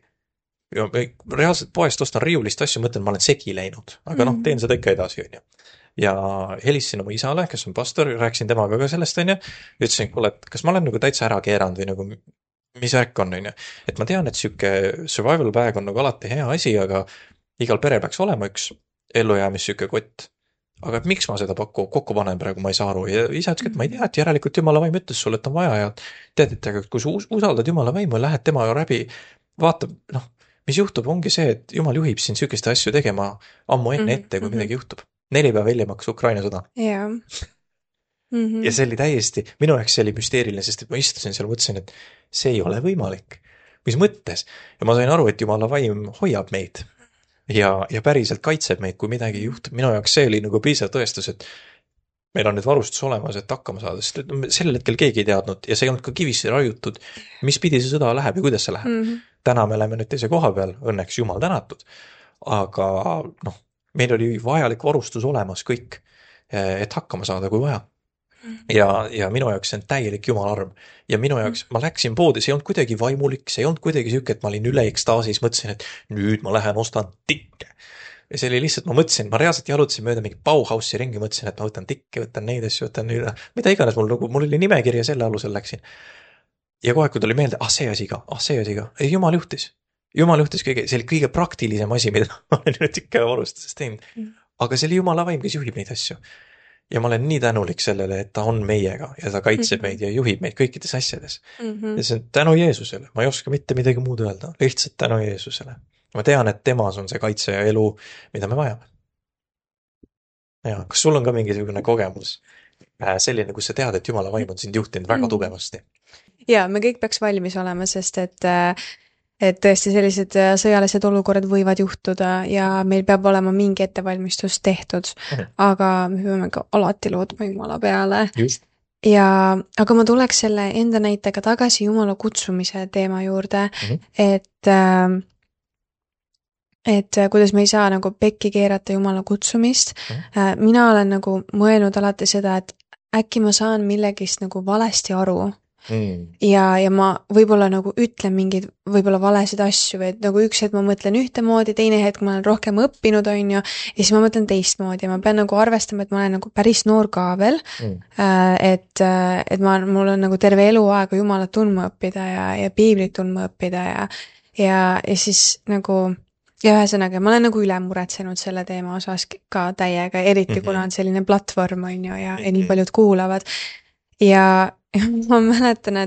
Ja reaalselt poest ostan riiulist asju, mõtlen, ma olen segi läinud, aga teen seda ikka edasi, on ju. Ja helistasin oma isale, kes on pastor, rääkisin temaga ka sellest, on ju, ütlesin, kuule, et kas ma olen nagu täitsa ära keeranud või nagu, mis värk on, on ju. Et ma tean, et süke survival bag on nagu alati hea asi, aga igal pere peaks olema üks ellujäämis süke kott. Aga et miks ma seda kokku panen praegu, ma ei saa aru. Ja isa ütles, et ma ei tea, et järelikult Jumala vaim ütles sulle, et on vaja ja tead, et kui sa usaldad Jumala vaimu, lähed tema läbi, vaatab, mis juhtub, ongi see, et Jumal juhib sind sükeste asju tegema ammu enne ette, kui midagi juhtub. 4 päeva hiljem hakkas Ukraina sõda. Yeah. Ja see oli täiesti, minu jaoks see oli müsteeriline, sest et ma istusin seal, mõtlesin, et see ei ole võimalik. Mis mõttes? Ja ma sain aru, et Jumala vaim hoiab meid ja päriselt kaitseb meid, kui midagi juhtub. Minu jaoks see oli nagu piisav tõestus, et meil on nüüd varustus olemas, et hakkama saada, sest sellel hetkel keegi ei teadnud ja see ei olnud ka kivisse raiutud, mis pidi see sõda läheb ja kuidas see läheb. Täna me oleme nüüd teise koha peal, õnneks Jumal tänatud, aga meil oli vajalik varustus olemas kõik, et hakkama saada, kui vaja. Ja minu jaoks see on täielik Jumala arm. Ja minu jaoks, ma läksin poodi, see ei olnud kuidagi vaimulik, see ei olnud kuidagi süke, et ma olin üle ekstaasis, mõtlesin, et nüüd ma lähen ostan tikke. Ja see oli lihtsalt, ma mõtlesin, ma reaalselt jalutasin mööda mingi Bauhausi ringi, mõtlesin, et ma võtan tikke, võtan neid asju, võtan nüüd, mida iganes mul oli nimekiri ja selle alusel läksin. Ja kogu aeg, kui tuli meelde, see asi ka. Ei, Jumal juhtis kõige, see oli kõige praktilisem asi, mida ma olen nüüd ikka varustuses teinud. Aga see oli Jumala vaim, kes juhib neid asju. ja ma olen nii tänulik sellele, et ta on meiega ja ta kaitseb meid ja juhib meid kõikides asjades. Ja see on tänu Jeesusele, ma ei oska mitte midagi muud öelda, lihtsalt tänu Jeesusele. Ma tean, et temas on see kaitse ja elu, mida me vajame. Ja, kas sul on ka mingisugune kogemus selline, kus sa tead, et Jumala vaim on sind juhtinud väga tugevasti? Ja, me kõik peaks valmis olema, sest et tõesti sellised sõjalised olukorrad võivad juhtuda ja meil peab olema mingi ettevalmistus tehtud, aga me peame ka alati lootma Jumala peale. Just. Ja, aga ma tuleks selle enda näitega tagasi Jumala kutsumise teema juurde, et kuidas me ei saa nagu pekki keerata Jumala kutsumist. Mina olen nagu mõelnud alati seda, et äkki ma saan millegist nagu valesti aru. Ja ma võib-olla nagu ütlen mingeid võib-olla valesid asju või et nagu üks hetk ma mõtlen ühtemoodi, teine hetk ma olen rohkem õppinud, on ju, ja siis ma mõtlen teistmoodi ja ma pean nagu arvestama, et ma olen nagu päris noor ka veel, et mul on nagu terve eluaega Jumalat tundma õppida ja piiblit tundma õppida ja siis nagu ja ühesõnaga, ma olen nagu üle muretsenud selle teema osas ka täiega, eriti kuna on selline platvorm, on ju, ja nii paljud kuulavad ja ma mäletan,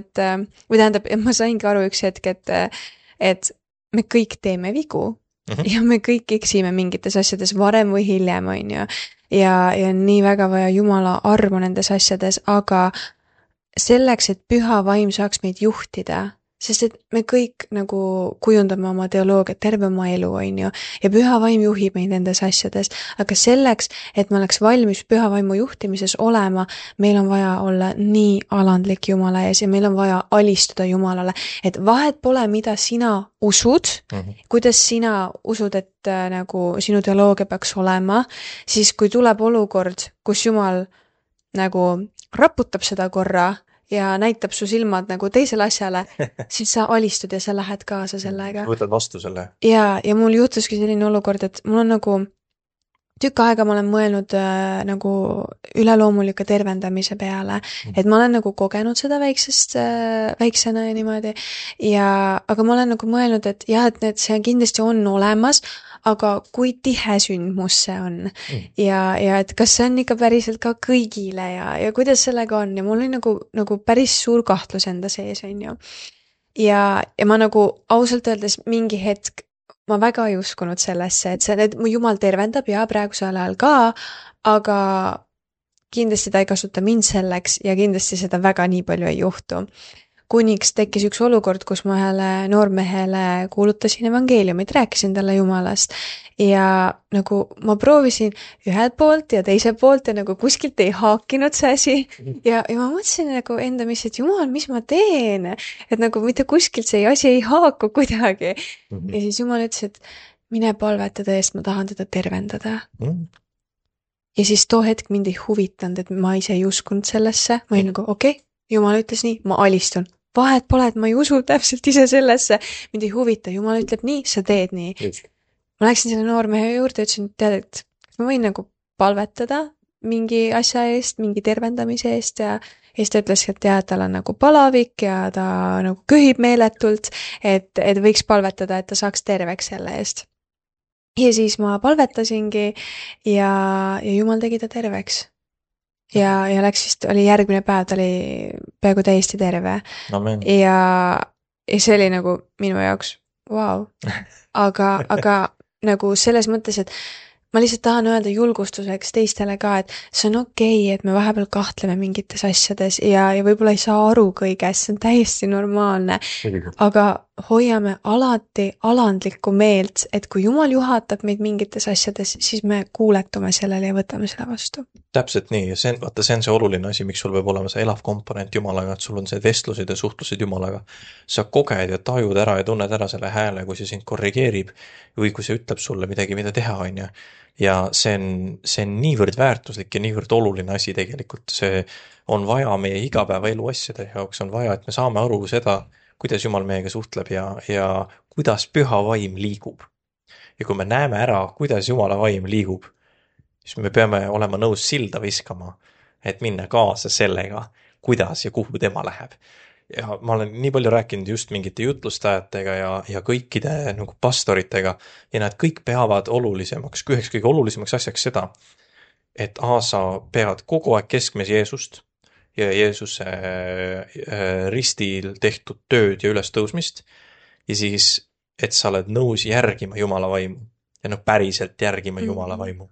või tähendab, ma saingi aru üks hetk, et me kõik teeme vigu ja me kõik eksime mingites asjades varem või hiljem, on ju. Ja nii väga vaja Jumala armu nendes asjades, aga selleks, et püha vaim saaks meid juhtida, sest et me kõik nagu kujundame oma teoloogiat terve oma elu, on ju, ja püha vaim juhib meid nendes asjades, aga selleks, et me oleks valmis püha vaimu juhtimises olema, meil on vaja olla nii alandlik Jumala ees ja meil on vaja alistuda Jumalale, et vahet pole, mida sina usud, kuidas sina usud, et nagu sinu teoloogia peaks olema, siis kui tuleb olukord, kus Jumal nagu raputab seda korra, ja näitab su silmad nagu teisele asjale, siis sa alistud ja sa lähed kaasa sellega. Võtad vastu selle. Ja mul juhtuski selline olukord, et mul on nagu tükk aega ma olen mõelnud nagu üleloomulike tervendamise peale, et ma olen nagu kogenud seda väiksena ja niimoodi, aga ma olen nagu mõelnud, et jah, et see kindlasti on olemas, aga kui tihe sündmus see on ja et kas see on ikka päriselt ka kõigile ja kuidas sellega on ja mul oli nagu päris suur kahtlus enda sees, on ju. Ja ma nagu ausalt öeldes mingi hetk ma väga ei uskunud sellesse, et mu Jumal tervendab ja praegusel ajal ka, aga kindlasti ta ei kasuta mind selleks ja kindlasti seda väga nii palju ei juhtu. Kuniks tekkis üks olukord, kus ma ühele noormehele kuulutasin evangeeliumit, rääkisin talle Jumalast ja nagu ma proovisin ühelt poolt ja teiselt poolt ja nagu kuskilt ei haakinud see asi ja ma mõtlesin nagu enda mis, et Jumal, mis ma teen, et nagu mitte kuskilt see asi ei haaku kuidagi. Ja siis Jumal ütles, et mine palvetada eest, ma tahan teda tervendada. Ja siis too hetk mind ei huvitanud, et ma ise ei uskunud sellesse, ma olin nagu okei, Jumal ütles nii, ma alistun. Vahet pole, et ma ei usu täpselt ise sellesse, mind ei huvita, Jumal ütleb nii, sa teed nii. Ma läksin selle noormehe juurde ja ütlesin, tead, et ma võin nagu palvetada mingi asja eest, mingi tervendamise eest ja siis ta ütles, et jah, tal on nagu palavik ja ta nagu köhib meeletult, et võiks palvetada, et ta saaks terveks selle eest. Ja siis ma palvetasingi ja Jumal tegi ta terveks. Ja läks vist, oli järgmine päev, ta oli peaaegu täiesti terve. Amen. Ja see oli nagu minu jaoks, vau. Aga nagu selles mõttes, et ma lihtsalt tahan öelda julgustuseks teistele ka, et see on okei, et me vahepeal kahtleme mingites asjades ja võib-olla ei saa aru kõigest, see on täiesti normaalne. Aga hoiame alati alandlikku meelt, et kui Jumal juhatab meid mingites asjades, siis me kuuletume sellele ja võtame selle vastu. Täpselt nii, ja see on see oluline asi, miks sul peab olema see elav komponent Jumalaga, et sul on see vestlused ja suhtlused Jumalaga. Sa koged ja tajud ära ja tunned ära selle hääle, kui see sind korrigeerib või kui see ütleb sulle midagi, mida teha, on ju. Ja see on niivõrd väärtuslik ja niivõrd oluline asi tegelikult. See on vaja meie igapäevaelu asjade jaoks, on vaja, et me saame aru seda, kuidas Jumal meiega suhtleb ja kuidas püha vaim liigub. Ja kui me näeme ära, kuidas Jumala vaim liigub, siis me peame olema nõus silda viskama, et minna kaasa sellega, kuidas ja kuhu tema läheb. Ja ma olen nii palju rääkinud just mingite jutlustajatega ja kõikide nagu pastoritega ja nad kõik peavad olulisemaks, üheks kõige olulisemaks asjaks seda, et sa pead kogu aeg keskmes Jeesust ja Jeesuse ristil tehtud tööd ja ülestõusmist ja siis, et sa oled nõus järgima Jumala vaimu ja päriselt järgima Jumala vaimu.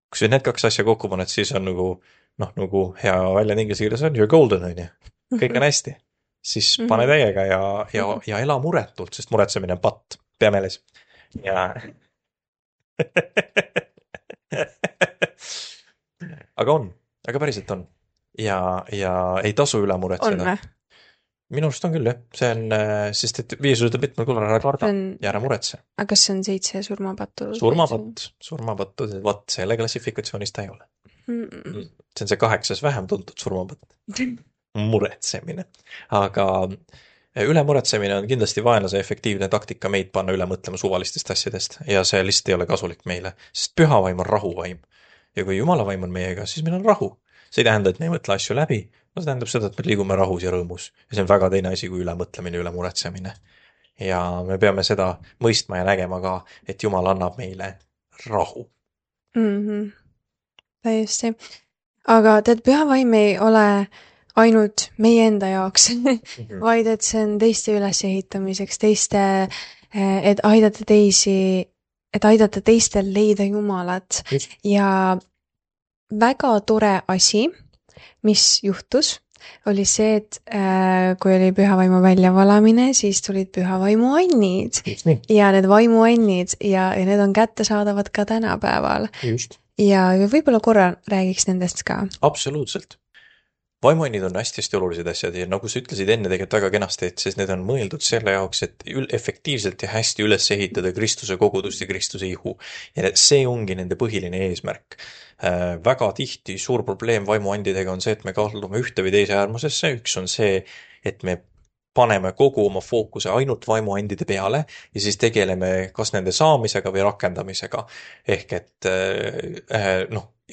Kui sa need kaks asja kokku paned, siis on nagu hea väljend inglise keeles on you're golden, on ju. Kõik on hästi. Siis pane täiega ja ela muretult, sest muretsemine on patt. Pea meeles. Ja aga päriselt on. Ja ei tasu üle muretseda. On või? Minu arust on küll, jah. See on, sest et Jeesus ütleb mitmel korral ära karda ja ära muretse. Aga kas see on 7 surmapattu? Surmapattu, vaat selle klassifikatsioonist ta ei ole. See on see 8 vähem tuntud surmapatt. Muretsemine. Aga üle muretsemine on kindlasti vaenlase efektiivne taktika meid panna üle mõtlema suvalistest asjadest ja see lihtsalt ei ole kasulik meile, sest püha vaim on rahuvaim. Ja kui Jumala vaim on meiega, siis meil on rahu. See ei tähenda, et me ei mõtle asju läbi, see tähendab seda, et me liigume rahus ja rõõmus. Ja see on väga teine asi kui ülemõtlemine, ülemuretsemine. Ja me peame seda mõistma ja nägema ka, et Jumal annab meile rahu. Täiesti. Aga tead, püha vaim ei ole ainult meie enda jaoks, vaid et see on teiste ülesehitamiseks, et aidata teistel leida Jumalat. Ja väga tore asi, mis juhtus, oli see, et kui oli pühavaimu väljavalamine, siis tulid pühavaimu annid. Ja need vaimuannid ja need on kättesaadavad ka tänapäeval. Just. Ja võib-olla korra räägiks nendest ka. Absoluutselt. Vaimuannid on hästi olulised asjad ja nagu sa ütlesid enne tegelikult väga kenasti, et need on mõeldud selle jaoks, et efektiivselt ja hästi üles ehitada Kristuse kogudust ja Kristuse ihu. Ja see ongi nende põhiline eesmärk. Väga tihti suur probleem vaimuandidega on see, et me kaldume ühte või teise äärmusesse. Üks on see, et me paneme kogu oma fookuse ainult vaimuandide peale ja siis tegeleme kas nende saamisega või rakendamisega. Ehk et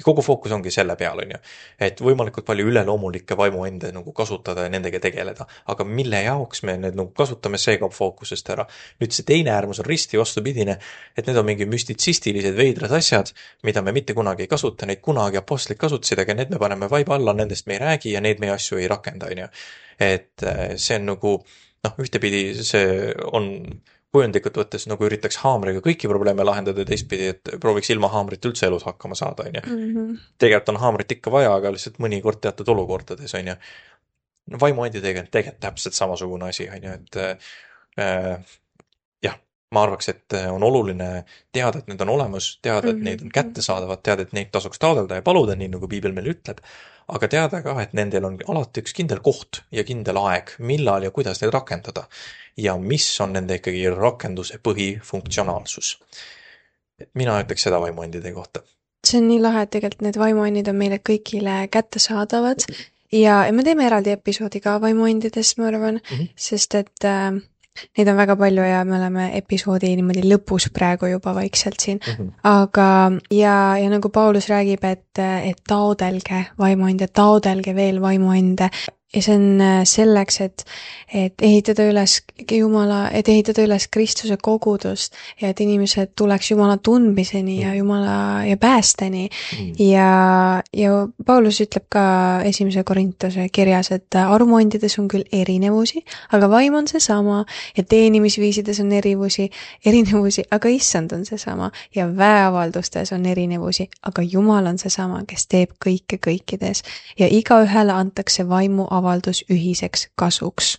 kogu fookus ongi selle peal, on ju. Et võimalikult palju üleloomulikke vaimuande kasutada ja nendega tegeleda. Aga mille jaoks me need kasutame, see kaob fookusest ära. Nüüd see teine äärmus on risti vastupidine, et need on mingi müstitsistilised veidrad asjad, mida me mitte kunagi ei kasuta, neid kunagi apostlid kasutasid, aga need me paneme vaiba alla, nendest me ei räägi ja neid meie asju ei rakenda, on ju. Et see on ühtepidi see on kujundlikult võttes üritaks haamriga kõiki probleeme lahendada ja teistpidi, et prooviks ilma haamrit üldse elus hakkama saada, on ju. Tegelikult on haamrit ikka vaja, aga lihtsalt mõnikord teatud olukordades, on ju. Vaimuandidega on tegelikult täpselt samasugune asi, on ju, et ma arvaks, et on oluline teada, et need on olemas, teada, et neid on kättesaadavad, teada, et neid tasuks taodelda ja paluda, nii nagu Piibel meil ütleb, aga teada ka, et nendel on alati üks kindel koht ja kindel aeg, millal ja kuidas neid rakendada ja mis on nende ikkagi rakenduse põhifunktsionaalsus. Mina ütleks seda vaimuandide kohta. See on nii lahe, et tegelikult need vaimuandid on meile kõigile kättesaadavad ja me teeme eraldi episoodi ka vaimuandidest, ma arvan, sest et neid on väga palju ja me oleme episoodi niimoodi lõpus praegu juba vaikselt siin. Aga ja nagu Paulus räägib, et taodelge vaimuande, taodelge veel vaimuande. Ja see on selleks, et ehitada üles Jumala, et ehitada üles Kristuse kogudust ja et inimesed tuleks Jumala tundmiseni ja Jumala ja päästeni. Ja Paulus ütleb ka 1. Korintuse kirjas, et armuandides on küll erinevusi, aga vaim on seesama ja teenimisviisides on erinevusi, aga issand on seesama ja väeavaldustes on erinevusi, aga Jumal on seesama, kes teeb kõike kõikides ja igaühele antakse vaimu avaldus ühiseks kasuks.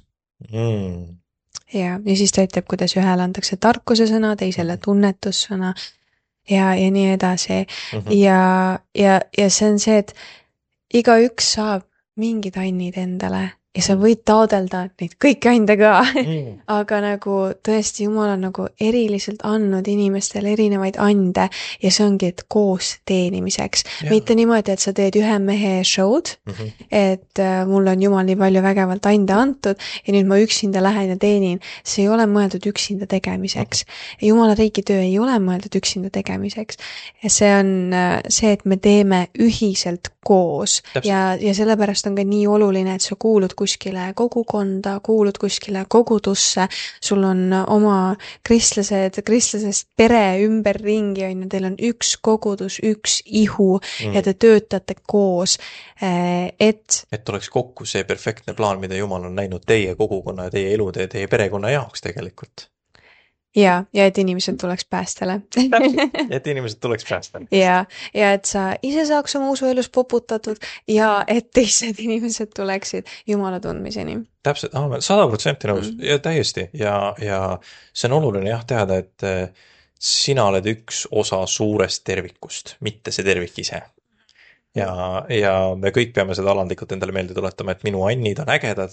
Ja siis ta ütleb, kuidas ühele antakse tarkuse sõna, teisele tunnetussõna ja nii edasi. Ja see on see, et igaüks saab mingid annid endale ja sa võid taodelda neid kõiki ande ka. Aga tõesti Jumal on eriliselt andnud inimestele erinevaid ande ja see ongi, et koos teenimiseks. Mitte niimoodi, et sa teed ühe mehe show'd, et mul on Jumal nii palju vägevalt ande antud ja nüüd ma üksinda lähen ja teenin. See ei ole mõeldud üksinda tegemiseks. Jumala riigi töö ei ole mõeldud üksinda tegemiseks. Ja see on see, et me teeme ühiselt koos ja sellepärast on ka nii oluline, et sa kuulud kuskile kogukonda, kuulud kuskile kogudusse, sul on oma kristlasest pere ümberringi, on ju, teil on üks kogudus, üks ihu ja te töötate koos, et oleks kokku see perfektne plaan, mida Jumal on näinud teie kogukonna ja teie elude ja teie perekonna jaoks tegelikult. Ja et inimesed tuleks päästele. Et inimesed tuleks päästele. Ja et sa ise saaks oma usuelus poputatud ja et teised inimesed tuleksid Jumala tundmiseni. Täpselt, 100% nõus ja täiesti ja see on oluline jah teada, et sina oled üks osa suurest tervikust, mitte see tervik ise. Ja me kõik peame seda alandlikult endale meelde tuletama, et minu annid on ägedad,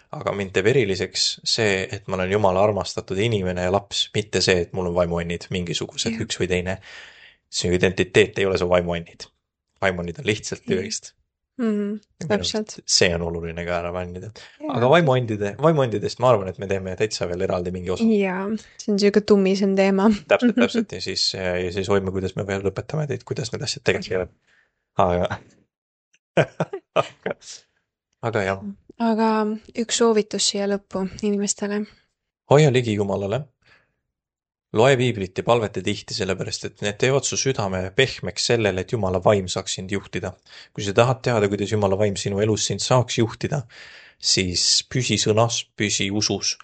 aga mind teeb eriliseks see, et ma olen Jumala armastatud inimene ja laps, mitte see, et mul on vaimuannid mingisugused, üks või teine. See identiteet ei ole su vaimuannid. Vaimuannid on lihtsalt tööist. Täpselt. See on oluline ka ära vannida. Aga vaimuandidest ma arvan, et me teeme täitsa veel eraldi mingi osa. Jaa, see on selline tummisem teema. Täpselt ja siis hoime, kuidas me veel lõpetame teid, kuidas need asjad tegelikult aga jah. Aga üks soovitus siia lõppu inimestele. Hoia ligi Jumalale. Loe piiblit ja palveta tihti, sellepärast, et need teevad su südame pehmeks sellele, et Jumala vaim saaks sind juhtida. Kui sa tahad teada, kuidas Jumala vaim sinu elus sind saaks juhtida, siis püsi sõnas, püsi usus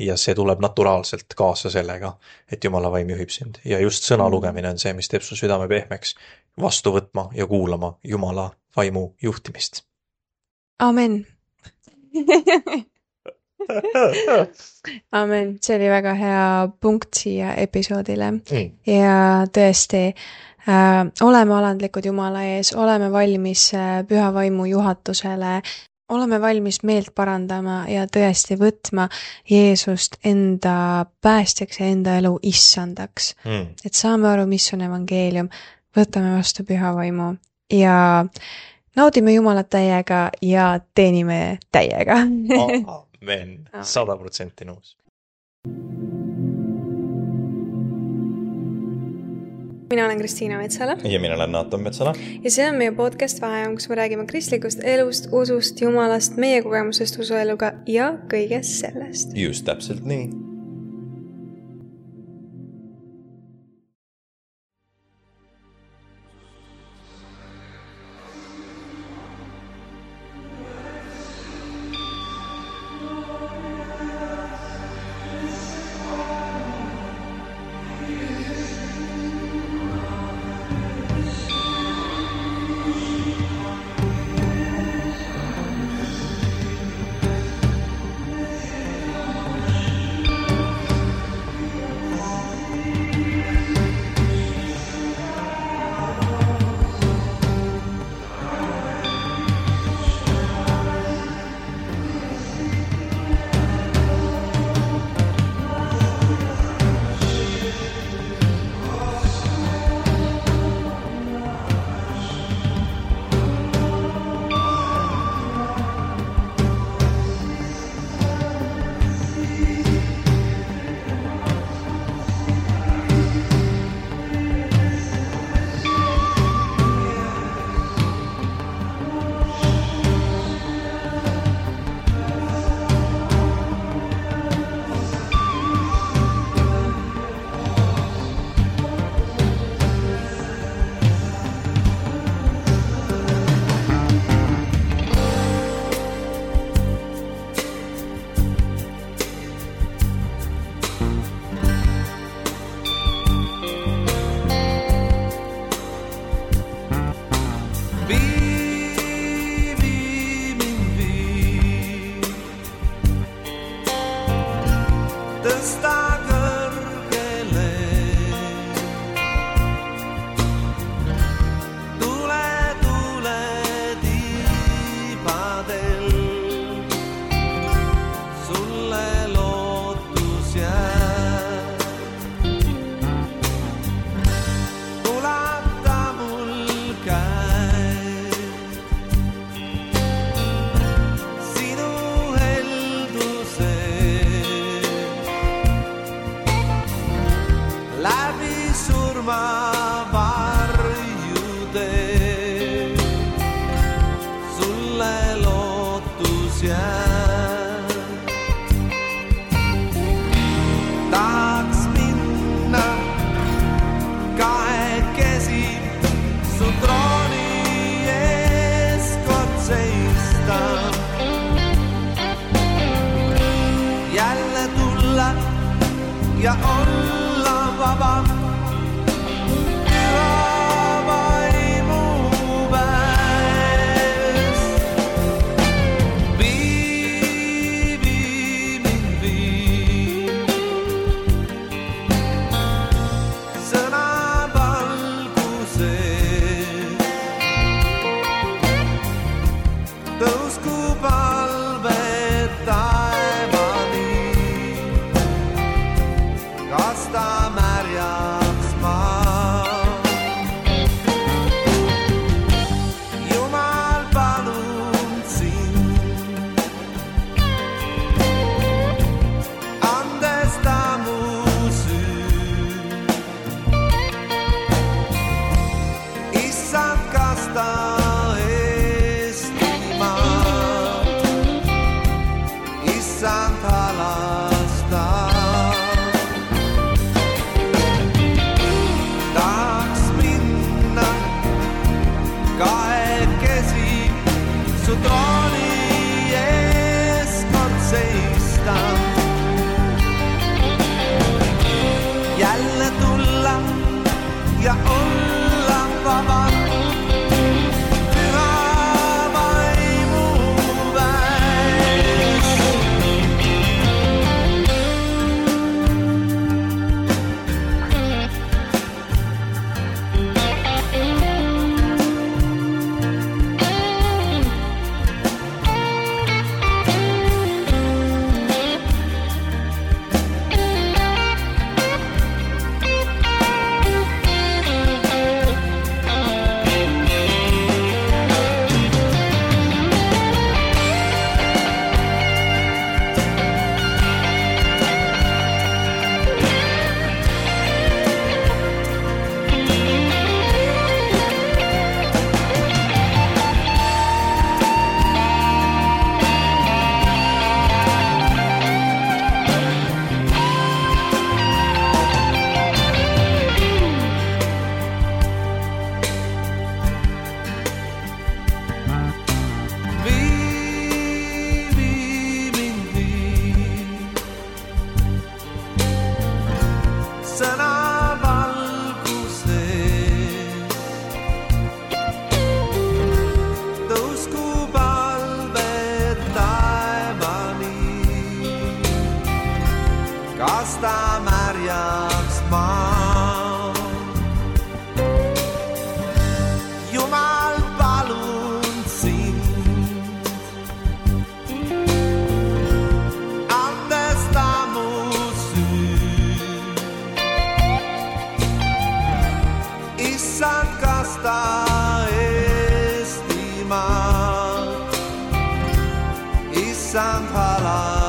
ja see tuleb naturaalselt kaasa sellega, et Jumala vaim juhib sind. Ja just sõna lugemine on see, mis teeb su südame pehmeks, vastu võtma ja kuulama Jumala vaimu juhtimist. Amen. Amen. See oli väga hea punkt siia episoodile. Ja tõesti, oleme alandlikud Jumala ees, oleme valmis püha vaimu juhatusele, oleme valmis meelt parandama ja tõesti võtma Jeesust enda päästjaks ja enda elu issandaks. Et saame aru, mis on evangeelium, võtame vastu püha vaimu ja naudime Jumalat täiega ja teenime täiega. Amen. 100% nõus. Mina olen Kristiina Metsala. Ja mina olen Naaton Metsala. Ja see on meie podcast Vaheajam, kus me räägime kristlikust elust, usust, Jumalast, meie kogemusest usueluga ja kõigest sellest. Just täpselt nii. ja olla vaba. Jälle tulla ja olla vaba. Pyhä vaimuväes. Kasta märjaks maa. Jumal, palun sind, andesta mu süü. Issand, kasta Eestimaad, issand, hala